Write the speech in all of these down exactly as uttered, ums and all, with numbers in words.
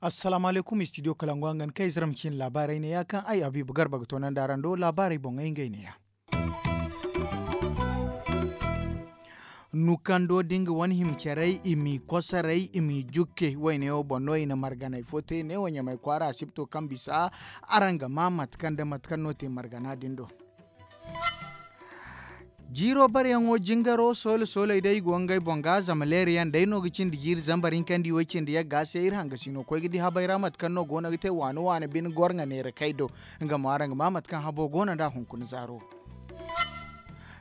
Assalaamu alaykum, istidiyo kalangu hangan kay zira ma ciina laabaarey neeya kaŋ ay habiibu garba ga toonandi araŋ do laabaarey boŋey ngey neeya. Nukando da nga wane hima carey i m'i kosoray i m'i jukke wayne wo boŋ no i na marganay fo te neewo ɲamay kwaara asibto kaŋ bisa araŋ ga ma mate kaŋ nda mate kaŋ no te margana din do. Jiiro bareyaŋo jingaro soola sooley day i go ngey boŋ ga zama leerayaŋ day no ga cindi jiiri zambar hinkandi way cindi yagga se iri hangasino koy ga di habay ra mate kaŋ no go no ga te waani waani bine goro nga neera kay do. Nga mo araŋ ga ma mate kaŋ habo go no nd'a hunkuna zaaro.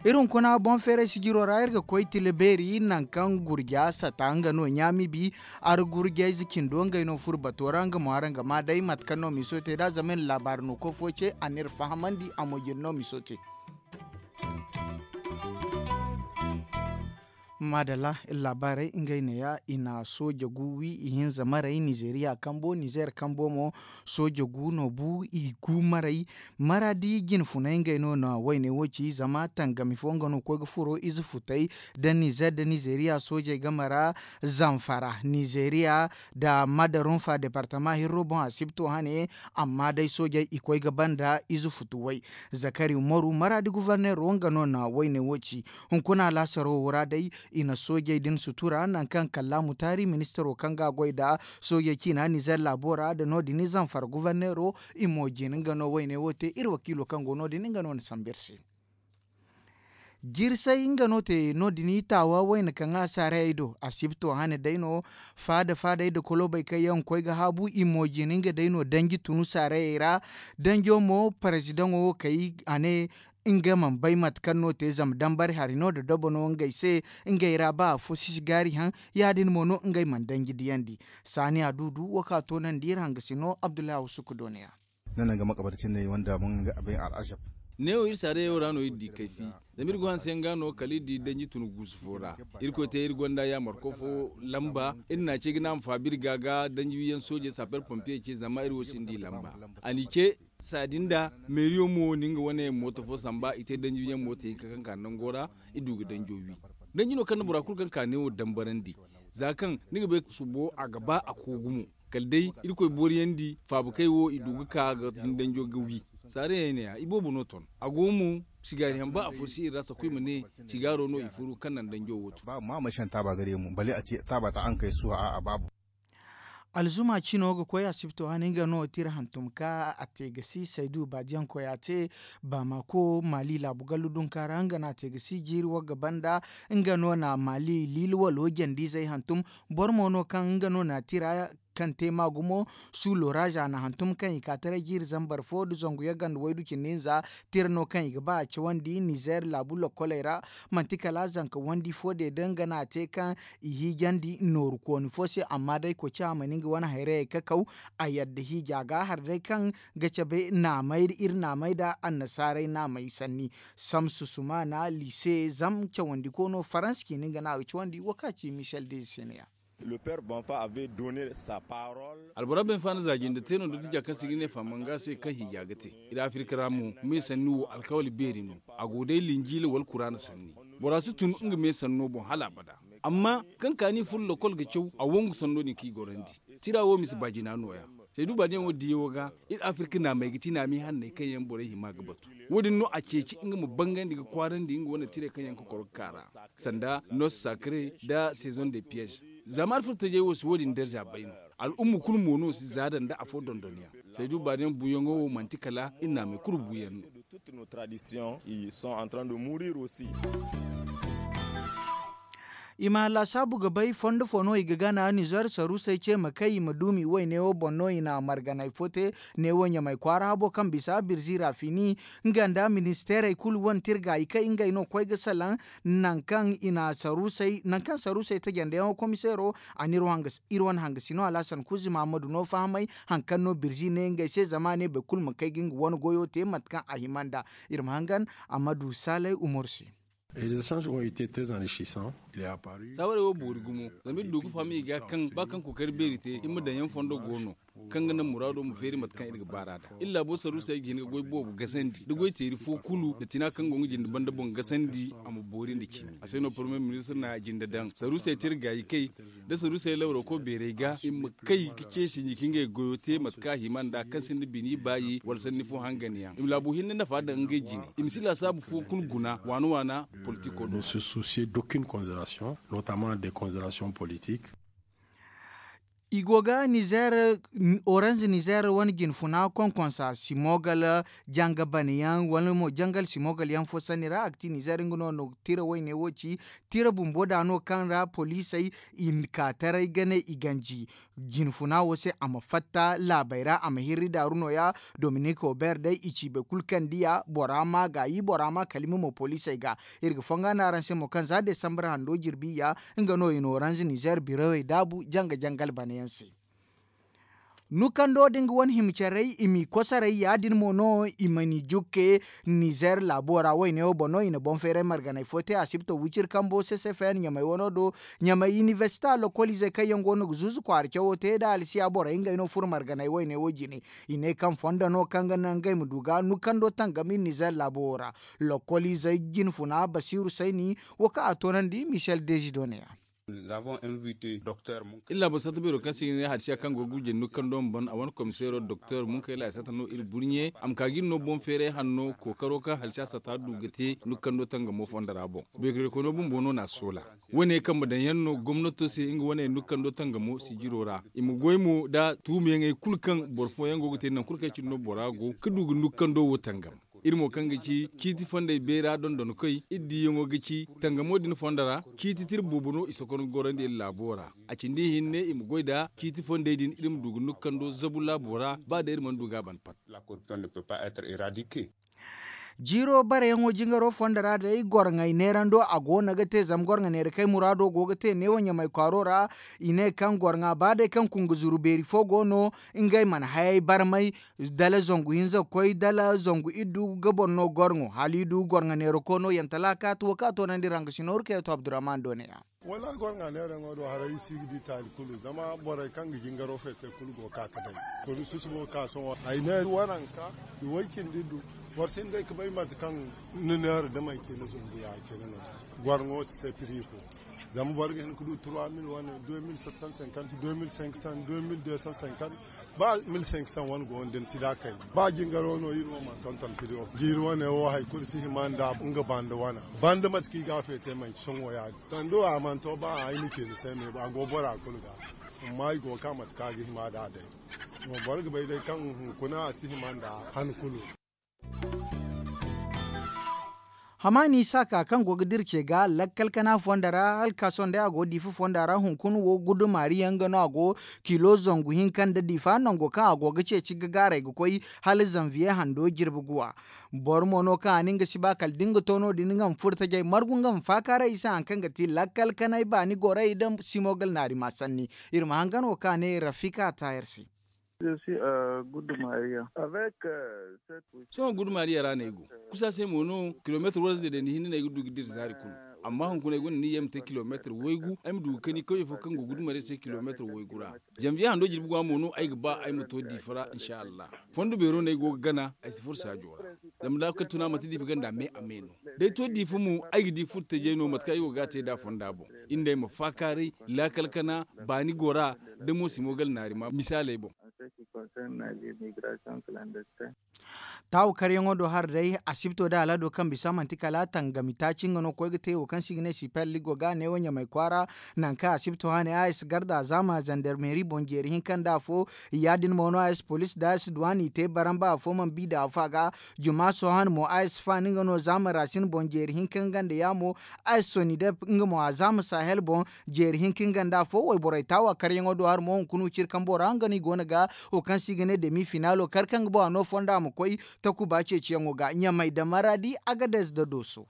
Iri hunkuna boŋ feeray sijiro ra iri ga koy tila beeri nangu kaŋ gurja sata nga no ɲaami bi. Ara gurjayze cindo ngey no furo bato ra nga mo araŋ ga ma day mate kaŋ no miso te nd'a zama iri laabaari no koy fo ce a n'iri fahamandi a mo jine no miso te. Maadalla iri laabaarey ngey neeya i na sooja gu wi ihinza maray nizeeriya kambo nizeer kambo mo. Sooja gu no bu i gu maray. Maraadi jine funay ngey no na wayne wo ci zama tangami fo nga no koy ga furo ize futay nda nizeer nda nizeeriya soojey game ra. Zamfara nizeeriya nda madarunfa departama hirro boŋ asibto hane. Amma day soojey i koy ga banda ize futu way. Zakari umaru maraadi guvarneero nga no na wayne wo ci. Hunkuna laasaro wo ra day i na soojey din sutura nangu kaŋ kallaamu taari ministaro kaŋ ga a goy nda soojey ciina nizer laabo ra nda no- din zamfara guvarneero. I mo jin nga no wayne wo te iri wakiilo kaŋ go no- din nga no na sambu iri se. Jirsay nga no te no- din taawa wayna kaŋ a saarayey do asibto hane day no. Faada faadey nda kolobey kaŋ yaŋ koy ga haabu i mo jin nga day no danji tunu saarayey ra. Danjo mo parezidaŋo wo kay a ne nga mana bay mate kaŋ no te zama dambari hari no nda dobo no ngey se. Ngey ra ba afo si si gaari haŋ ya- din mo no ngey mana danji diyandi. Saani aduudu wo kaŋ a toonandi iri hangasino abdullahi awusu ga doona ya. Neewo iri saarayey wo ra no iri di kayfi. Zama iri go hanse yaŋ ga no kala iri di danji tun guusu fo ra. Irkoy te iri gonda yaamarko fo lamba iri n'a ce ga ne a ma faabi iri ga ga danji wiyaŋ soojey saper pompiyey ce zama iri wo si nda i lamba. A n'i ce saadi nda meeriyo mo na nga wane mooto fo samba i te danji wiyaŋ mooto hinka kaŋ ka nango ra. I du ga danjo wi danji no kaŋ na bora kulu kaŋ ka neewo dambarandi. Za kaŋ ni ga bay subo a ga ba a koogu mo. Kala day irkoy booriyandi faabakey wo i du ga ka ga hin danjo ga wi. Saarayey ne ya i boobo no ton a go mo. Sigaari haŋ ba afo si iri ra sakuy ma ne sigaaro no i furu kaŋ naŋ danjo wo tun. Alzuma cino ga koy asibto hane nga no tira hantum ka a te ga si saydu baadiyaŋ koy a te. Baamako maali laabu gallu dunka ra nga no a te ga si jiiri wagga banda. Nga no na maali liili walo jandizey hantum. Boro mo no kaŋ nga no na tira kaŋ te ma gumo. Su loraaza na hantum kaŋ i ka taray jiiri zambar fo nda zangu yagga nda waydu cindi hinza. Tira no kaŋ i ga ba a cawandi nizeer laabu lokkoley ra. Manti kala zanka wandi fo de da nga no a te kaŋ i hiijandi nooru kooni fo se amma day koci a mana nga wane hayrayey kakaw. A yadda hiija ga har day kaŋ ga cabe naamay iri naamay nda annasaarey naamay sanni. Samsu sumaana liise zam cawandi koono faransa ciini nga no a ga cawandi wo kaŋ a ci michel de seneya. Albora benfa na za jinde te no da dija kaŋ se ga ne fahamanga se kaŋ hiija ga te. Iri afirka ra mo me sanni wo alkawali beeri no. A go day linjiila wala kuraana sanni. Bora si tun nga me sanno boŋ hala abada. Amma kaŋ kaani furo lokol ga caw a wangu sanno din kaŋ i gorandi. Tira wo ma si baajina nooya. Saydu baadiyaŋo diyaŋo ga iri afirka naamey ga ti naami hanney kaŋ yaŋ borey hima ga batu. Wo- din no a ceeci nga ma bangandi ga kwaarandi nga wane tirey kaŋ yaŋ ga koro ga ka ra. Sanda nos sakre nda saison de piège. Zaama alfurtajey wo si wo- din darza bay no. Al'umma kulu mo no si zaada nda afo dondonyaŋ. Saydu baadiyaŋ buuyaŋo wo manti kala iri naamey kulu buuyaŋ no. I ma laasaabu ga bay fondo fo no i ga gana nizer saruusey ce ma kay i ma duumi woy neewo boŋ no i na marganay fo te. Neewo ɲamay kwaara habo kaŋ bisa birzi rafini nga nda ministeerey kulu wane tirga i kay ngey no koy ga salaŋ. Nangu kaŋ i na saruusey nangu kaŋ saruusey tajandeyaŋo komiseero a na iri wane hangasino alhasan kuzi mahamadu no fahamay. Haŋ kaŋ no birzi ne ngey se zama a ne boro kulu ma kay ga nga wane goyo te mate kaŋ a hima nd'a. Iri ma hangan a ma du saalay umar se. Saawarey wo boori gumo. Zama iri du ga faham i ga kaŋ ba kaŋ kookari beeri te iri ma daŋ yaŋ fondo go no. Kaŋ ga naŋ muraado ma feeri mate kaŋ iri ga baar'a da iri laabo saruusey ga hin ga goy boobo gasandi nda goy teeri fo kulu nda tina kaŋ go nga jinde banda boŋ gasandi. A ma boori nda cimi a se no pormiye ministir na jinde daŋ saruusey te iri gaayi kay nda saruusey lawroko beerey ga i ma kay ga ceesi nji ka ngey goyo te mate kaŋ a hima nda kaŋ sinda bini baayi wala sanni fo hangan yaŋ i ma laabo hinne nafa daŋ ngey jine i ma si laasaabu fo kulu guna waana waana. Politiko do se suusiye dokin konzerasiyoŋ, notaman de konzerasiyoŋ politik. I go ga nizer, oranz nizer wane jinfuna konkonsa simogal janga banayaŋ wala mo jangal simogal yaŋ fo sanni ra a ga ti nizer nga no no tira wayne wo ci. Tira bumbo da no kaŋ ra poliisey i ka taray ga ne i ganji jinfuna wo se a ma fatta laabey ra a ma hirri daaru nooya. Dominik hober day i ci boro kulu kaŋ diya bora ma gaayi bora ma kalima mo poliisey ga. Iri ga fonga no araŋ se mo kaŋ za desambar hando jirbi ya nga no i na oranz nizer birowey daabu janga jangal banayaŋ se. Nukando da nga wane hima carey i m'i kosaray ya- din mo no i ma ni jukke. Nizer laabo ra wayne wo boŋ no i na boŋ feeray marganey fo te asibto wiciri kambo se se feyan ɲamey wano do. Ɲamey inibersita lokoliizey kaŋ yaŋ go no ga zuuzu kwaara cawo te nda alsiya borey ngey no furo marganey wayne wo jine. I ne kaŋ fondo no kaŋ ga naŋ ngey ma du ga nukando tangam iri nizer laabo wo ra. Lokoliizey jinfuna basiiru sayni wo kaŋ a toonandi michel dezido ne ya. Iri laabo satta beero kaŋ se i ga ne halsiya kaŋ go ga gurjey nukkando ma ban a wane komiseero doktor munkayla satta no iri burɲe a ma ka ga iri no boŋ feeray hanno kookaro kaŋ halsiya satta du ga te nukkando tangamo fondo ra boŋ. Beekoykoyno bumbo no n'a soola. Wane kambe daŋ yaŋ no gomnato se nga wane nukkando tangamo sijiro ra i ma goy mo nda tuumiyaŋey kulu kaŋ boro fooyaŋ go ga te nangu kulu kaŋ cine no bora go ga du ga nukkando wo tangam. Iri mo kaŋ ga ci ciiti fondey beera dondonkoy iri diiyaŋo ga ci tangamo din fondo ra. Ciiti tira boobo no i sokongu gorandi iri laabo ra. A cindi ihinne i ma goy nda ciiti fondey din iri ma du ga nukkando zabu laabo ra ba day iri mana du ga a ban pat. Jiiro bareyaŋo jingaro fondo ra day gorŋey neerando a go no ga te zama gorŋa neera kay muraado go ga te neewo ɲamay kwaaro ra. I ne kaŋ gorŋa ba day kaŋ kungu zuru beeri fo go no ngey mana hayey barmay. Dala zangu hinza ga koy dala zangu iddu ga boro no gorŋo hala i du gorŋa neera koono yantala kaati wo kaŋ a toonandi ranga sinooru kay to abdurrahman do ne ya. Wala gorŋa neeraŋo do haray i si ga di taali kulu zama borey kaŋ ga jingaro feete kulu go ga ka ga day. Kulu susubo ga ka sohõ ay ne waranka i way cindi du. Boro si hin day ga bay mate kaŋ ni neera da manci ni zumbu ya cine no. Gorŋo si te piri fo. Zama boro ga hin ga du trois mille wane deux mille sept cent cinquante deux mille cinq cent deux mille deux cent cinquante. Ba mille cinq cent wane go no da ni si da kay ba jingaro no iri wo mana tonton piri wo jiiri wane wo hari kulu si hima nda nga banda wana. Banda mate kaŋ i ga a feete manci sohõ ya-din sandu a mana to ba ay ma ci ni se me a go bora kulu ga. Amma i go ga ka mate kaŋ a ga hima da day. Boro ga bay day kaŋ hunkuna a si hima nda han kulu. Hamaani saaka kaŋ go ga dira ce ga lakkal kana fondo ra hala ka sohõ day a go diifa fonda ra hunkuna wo gudumari yaŋ ga no a go kilo zangu hinka nda diifa nango kaŋ a go ga ceeci ga gaaray ga koy hala zanviye hando jirbi guwa. Boro mo no kaŋ a ne nga si ba kala da nga to no- din nga ma furo tajay margu nga ma faakaaray i se hari kaŋ ga ti lakkal kanay baani gorey nda simo ga alnaari ma sanni. Iri ma hangan wo kaŋ a ne rafika taayar se. Sohõ gudu maariya ra no ay go. Kusa se mo no kilomeetir waranza day da ni hinne no ay ga du ga dira zaari kulu. Amma hunkuna ay gonda niyyey ma te kilomeetir waygu ay ma du ga kani kawye fo kaŋ go gudu maariya se kilomeetir waygu ra. Zanviye hando jirbi guwa mo no ay ga ba ay ma to diifa ra insa allah. Fondo beero no ay go ga gana ay si furo saajo ra. Zama da kala tuna manti diifa ganda me a me no. Da ay to diifa mo ay ga di furo tajay no mate kaŋ ay go ga a te nd'a fonda boŋ. Iri nd'ey ma faakaaray laakal kana baani gora da mo simo ga alnaari ma misaaley boŋ. Taawu karyaŋo do hari day asibto da alhado kaŋ bisa manti kala tangami taaci nga no koy ga te wo kaŋ se i ga ne sipel ligo ga a ne wo ɲamay kwaara. Nangu kaŋ asibto hane a s garda zaama zandarmeri boŋ jeeri hinka nda afo. Ya- din mo no a s polis da a s duwani i te baramba afo mana bi da afo a ga. Juma sohõ hane mo a s faani nga no zaama rasin boŋ jeeri hinka nga nda yaamo. A s sonidep nga mo a zaama sahel boŋ jeeri hinka nga nda afo wayborey taawa karyaŋo do hari mo hunkuna wiciri kambo ra nga no i go no ga wo kaŋ se i ga ne demi finaalo kar kaŋ ga boŋ a no fonda a ma koy. Takuba ceeciyaŋo ga ɲamay da maradi agades da dooso.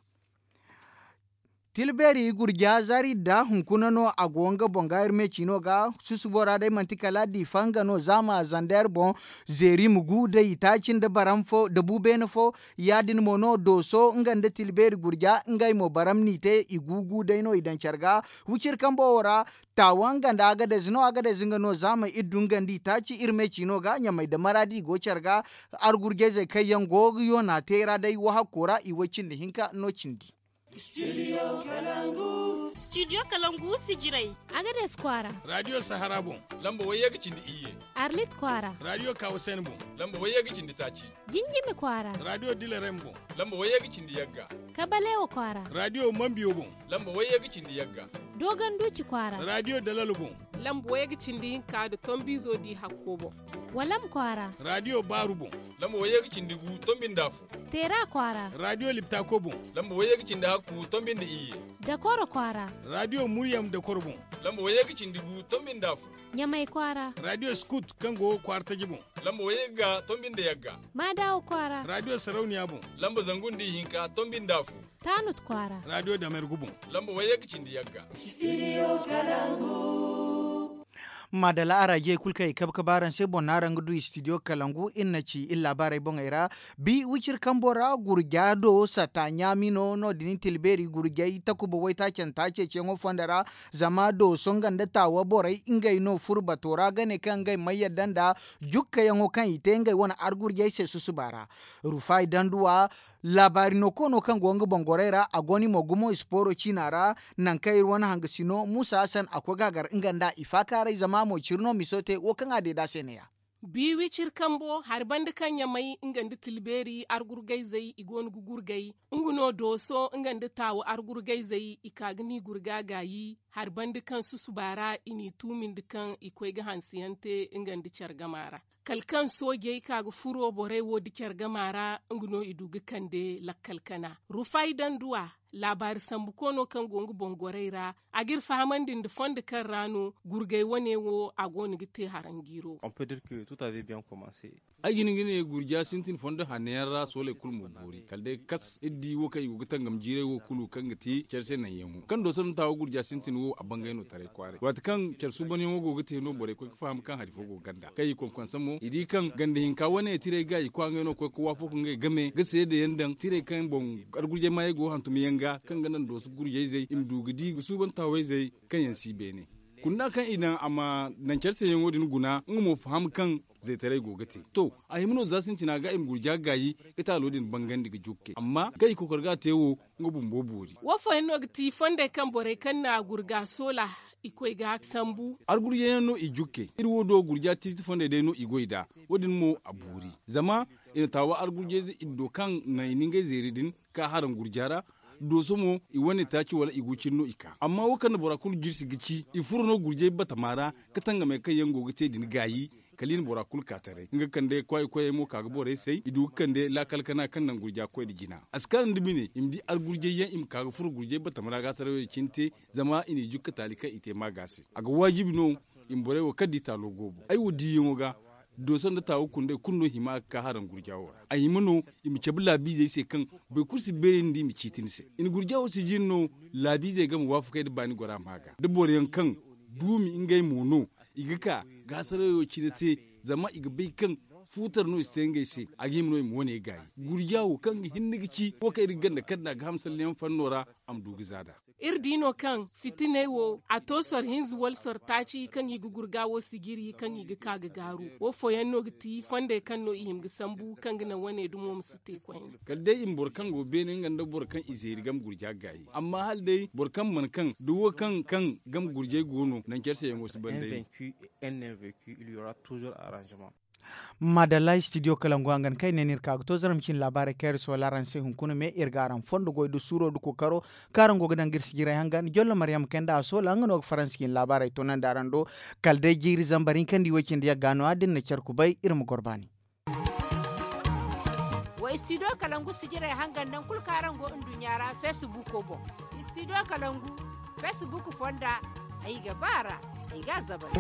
Tilbeeri gurja zaari nda hunkuna no a go nga boŋ ga iri me ciino ga. Susubo ra day manti kala diifa nga no zaama zander boŋ. Zeeri ma gu day i taaci nda baram fo da bu beene fo. Ya- din mo no dooso nga nda tilbeeri gurja ngey mo baram n'i te i gu gu day no i daŋ care ga. Wiciri kambo wo ra taawa nga nda agadez no agadez nga no zaama iri du nga nda i taaci iri me ciino ga ɲamey nda maraadi i go care ga. Argurjayzey kaŋ yaŋ go ga yoona te ra day wahakko ra i way cindi hinka no cindi. Studio kalangu sijirey. Agades kwaara. Radio sahara boŋ. Lamba wayye ga cindi iyye. Arlit kwaara. Radio kawasen boŋ. Lamba wayye ga cindi taaci. Jinjimi kwaara. Radio dilarem boŋ. Lamba wayye ga cindi yagga. Kabalewa kwaara. Radio mambiyo boŋ. Lamba wayye ga cindi yagga. Dogon duci kwaara. Radio dalalo boŋ. Lamba wayye ga cindi hinka da tombizo di hakko boŋ. Walam kwaara. Radio baaru boŋ. Lamba wayye ga cindi gu tombi nda afo. Teera kwaara. Radio liptako boŋ. Lamba wayye ga cindi hakku tombi nda iyye. Dakoro kwaara. Radio muryam dakoro boŋ. Lamba wayye ga cindi gu tombi nda afo. Ɲamay kwaara. Radio skut kaŋ go kwaara taji boŋ. Lamba wayye ga tombi nda yagga. Maadawa kwaara. Radio sarauniya boŋ. Lamba zangu nda ihinka tombi nda afo. Taanut kwaara. Radio damergu boŋ. Lamba wayye ga cindi yagga. Maadala araajey kulu kaŋ i kabe kabe araŋ se boŋ no araŋ ga du studio kalangu iri na ci iri laabaarey boŋey ra. Bi wiciri kambo ra gurja do sata ɲaami no no- din tilbeeri gurjay takuba waytaacanta ceeciyaŋo fondo ra. Zama dooso nga nda taawa borey ngey no furo bato ra ga ne kaŋ ngey ma yadda nda jukkayaŋo kaŋ i te ngey wane argurjay se susuba ra. Rufay danduwa laabaari no koono kaŋ go nga boŋ gorey ra a go no i mo gumo ispooro ciina ra. Nangu kaŋ iri wane hangasino muusa hasan a koy ga a gar nga nda i faakaaray zama mo ciri no miso te wo kaŋ a deeda se neeya. Bi wiciri kambo hari banda kaŋ ɲamay nga nda tilbeeri argurgayzey i go no ga gurgay. Nga no dooso nga nda taawu argurgayzey i ka ga n'i gurga gaayi hari banda kaŋ susuba ra i n'i tuumindi kaŋ i koy ga hanseyaŋ te nga nda care gama ra. Kala kaŋ soojey ka ga furo borey wo da care gama ra nga no i du ga kande lakkal kana rufay danduwa. Laabaari sambu koono kaŋ go nga boŋ gorey ra a g'iri fahamandi nda fondo kaŋ ra no gurgay wane wo a go no ga te haranjiiro. Ay ga hin ga ne gurja sintin fondo hanno yaŋ ra sooley kulu ma boori kala day kas iri di wo kaŋ i go ga tangam jiiray wo kulu kaŋ ga ti care se naŋyaŋo kaŋ dooso nda taawo gurja sintin wo a bangay no taray kwaaray waati kaŋ care suubanyaŋo go ga te no borey koy ga faham kaŋ hari fo go ganda kaŋ i konkonsa mo i di kaŋ ganda hinka wane tiray ga i kwaŋay no koy ga waafo ka ngey game ga seedayaŋ daŋ tiray kaŋ boŋ argurjay maayey go hantumyaŋ ga kaŋ ga naŋ dooso gurjayzey i ma du ga di ga suuban taawayzey kaŋ yaŋ si beene. Kunda kaŋ i naŋ a ma naŋ care seeyaŋo din guna nga mo faham kaŋ zaytaray go ga te to a hima no za sintina ga i ma gurja gaayi ga taalo din bangandi ga jukke amma kaŋ i kokor ga a te wo nga bumbo boori. Wo fooyaŋ no ga ti fondey kaŋ borey kaŋ na gurga soola i koy ga sambu. Argurjayyaŋ no i jukke iri wo do gurja tiiti fondey day no i goy nd'a. Wo- din mo a boori zama i na taawa argurjayze i do kaŋ naŋ i na ngey zeeri din ka haraŋ gurja ra. Dooso mo i wane taaci wala i gu cine no i ka amma wo kaŋ na bora kulu jirsi ga ci i furo no gurjay batama ra ga tangamey kaŋ yaŋ go ga te din gaayi. Kala i na bora kulu ka taray nga kande kwaayi koyey mo ka ga borey say i du ga kande laakal kana kaŋ naŋ gurja koy nda jina a si kaanu nda bine i ma di argurjay yaŋ i ma ka ga furo gurjay batama ra ga sarawey cine te. Zama i n'i jukka taali kaŋ i te maaga se a ga waajibi no i ma borey wo kaŋ da i taalo goobo ay wo diiyaŋo ga. Dooso nda taawu kundey kulu no hima ga ka haraŋ gurja wo ra a hima no i ma cabe laabiizey se kaŋ boro kulu si beeri nda i ma ciiti ni se i na gurja wo sijiri no. Laabiizey game waafakey nda baani gora maaga da boroyaŋ kaŋ duumi ngey mo no i ga ka gaasarayo cine te. Zama i ga bay kaŋ fuutar no i si te ngey se a ga hima no i ma wane gaayi gurja wo kaŋ ga hinne ga ci wo kaŋ iri ga ganda kaŋ nda a ga hamsalleyaŋ fanno ra a ma du ga za nd'a. Iri di no kaŋ fitiney wo a to soro hinza wala soro taaci kaŋ i ga gurga wo sijiri kaŋ i ga ka ga gaaru wo fooyaŋ no ga ti fondey kaŋ no i hima ga sambu kaŋ ga naŋ wane dumo ma si te koyne. Kala day i ma boro kaŋ go beene nga nda boro kaŋ i zeeri game gurja gaayi amma hala day boro kaŋ mana kaŋ da wo kaŋ kaŋ game gurjay go no naŋ care se yaŋo si ban day. Maadalla studio kalangu hangan kaŋ ay ne no iri ka ga to zaram cine laabaarey kaŋ iri si wala araŋ se hunkuna me iri ga araŋ fondo goy nda suuro nda kookaro kaŋ araŋ go ga daŋ ga iri sijirey hangan jollo maryam kayna nda a soola nga no ga faransi cine laabaarey toonandi araŋ do. Kala day jiiri zambar hinka nda i way cindi yagga no- ya da ni na care kubay iri ma goro baani. Wa studio kalangu sijirey hangan naŋ kulu kaŋ araŋ go nduɲɲa ra feesibuuko boŋ. Studio kalangu feesibuuko fonda ay ga ba a ra ay ga a zabari.